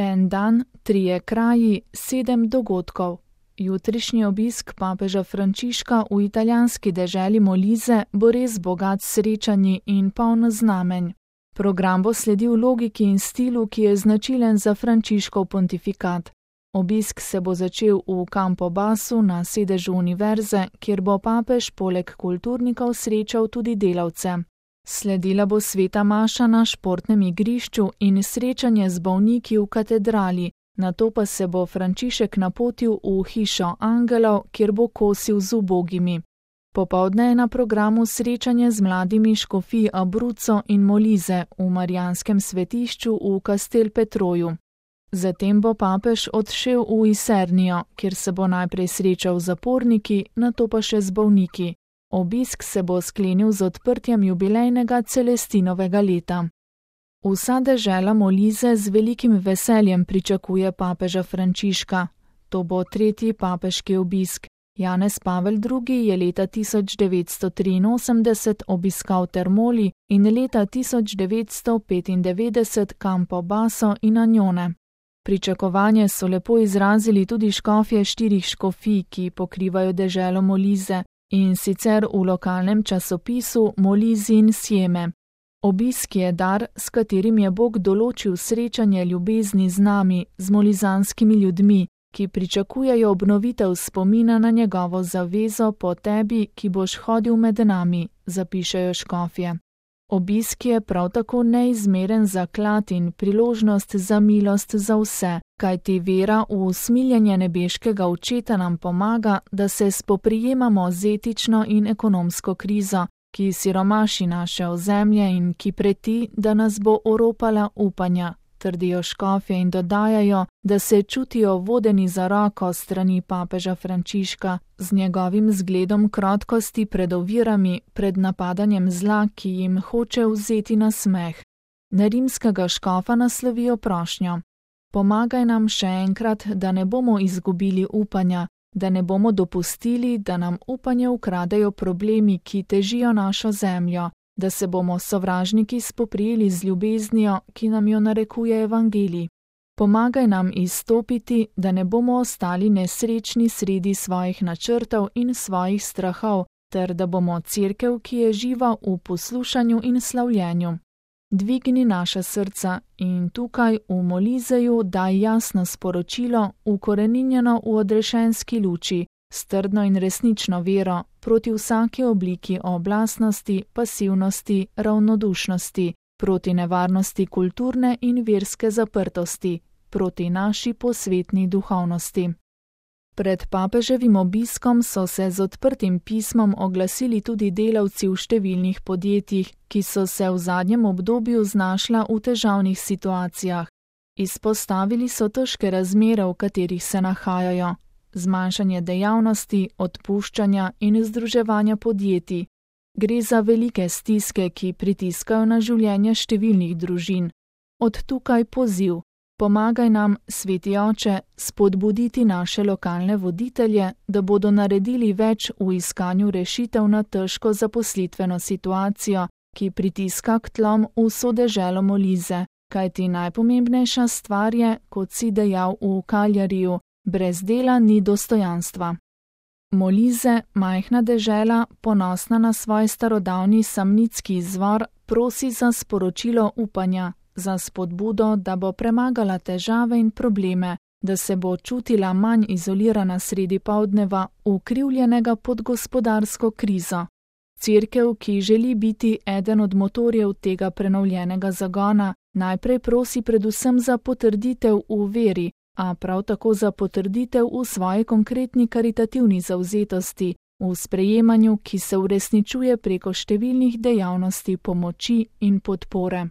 En dan, 3 kraji, 7 dogodkov. Jutrišnji obisk papeža Frančiška v italijanski deželi Molise bo res bogat s srečanji in poln znamenj. Program bo sledil logiki in stilu, ki je značilen za Frančiškov pontifikat. Obisk se bo začel v Campobasu na sedežu univerze, kjer bo papež poleg kulturnikov srečal tudi delavce. Sledila bo sveta maša na športnem igrišču in srečanje z bolniki v katedrali, nato pa se bo Frančišek napotil v hišo angelov, kjer bo kosil z ubogimi. Popoldne je na programu srečanje z mladimi škofij Abruzzo in Molise v Marijanskem svetišču v Castel Petroju. Zatem bo papež odšel v Isernijo, kjer se bo najprej srečal z zaporniki, nato pa še z bolniki. Obisk se bo sklenil z odprtjem jubilejnega Celestinovega leta. Vsa dežela Molise z velikim veseljem pričakuje papeža Frančiška. To bo 3. papeški obisk. Janez Pavel II. Je leta 1983 obiskal Termoli in leta 1995 Campobasso in Agnone. Pričakovanje so lepo izrazili tudi škofje 4 škofij, ki pokrivajo deželo Molise, in sicer v lokalnem časopisu Molise Insieme. Obisk je dar, s katerim je Bog določil srečanje ljubezni z nami, z molizanskimi ljudmi, ki pričakujejo obnovitev spomina na njegovo zavezo po tebi, ki boš hodil med nami, zapišejo škofje. Obisk je prav tako neizmeren zaklad in priložnost za milost za vse, kajti vera v usmiljenje nebeškega Očeta nam pomaga, da se spoprijemamo z etično in ekonomsko krizo, ki siromaši naše ozemlje in ki preti, da nas bo oropala upanja, trdijo škofje in dodajajo, da se čutijo vodeni za roko strani papeža Frančiška z njegovim zgledom krotkosti pred ovirami, pred napadanjem zla, ki jim hoče vzeti nasmeh. Na rimskega škofa naslovijo prošnjo: pomagaj nam še enkrat, da ne bomo izgubili upanja, da ne bomo dopustili, da nam upanje ukradejo problemi, ki težijo našo zemljo, da se bomo sovražniki spoprijeli z ljubeznijo, ki nam jo narekuje evangelij. Pomagaj nam izstopiti, da ne bomo ostali nesrečni sredi svojih načrtov in svojih strahov, ter da bomo cerkev, ki je živa v poslušanju in slavljenju. Dvigni naša srca in tukaj v Moliseju daj jasno sporočilo, ukoreninjeno v odrešenski luči, s trdno in resnično vero, proti vsaki obliki oblastnosti, pasivnosti, ravnodušnosti, proti nevarnosti kulturne in verske zaprtosti, proti naši posvetni duhovnosti. Pred papeževim obiskom so se z odprtim pismom oglasili tudi delavci v številnih podjetjih, ki so se v zadnjem obdobju znašla v težavnih situacijah. Izpostavili so težke razmere, v katerih se nahajajo, zmanjšanje dejavnosti, odpuščanja in združevanja podjetij. Gre za velike stiske, ki pritiskajo na življenje številnih družin. Od tukaj poziv: pomagaj nam, Sveti Oče, spodbuditi naše lokalne voditelje, da bodo naredili več v iskanju rešitev na težko zaposlitveno situacijo, ki pritiska k tlom vso deželo Molise, kajti najpomembnejša stvar je, kot si dejal v Kaljariju, brez dela ni dostojanstva. Molise, majhna dežela, ponosna na svoj starodavni samnitski izvor, prosi za sporočilo upanja, za spodbudo, da bo premagala težave in probleme, da se bo čutila manj izolirana sredi poldneva, ukrivljenega pod gospodarsko krizo. Cerkev, ki želi biti eden od motorjev tega prenovljenega zagona, najprej prosi predvsem za potrditev v veri, a prav tako za potrditev v svoji konkretni karitativni zavzetosti, v sprejemanju, ki se uresničuje preko številnih dejavnosti pomoči in podpore.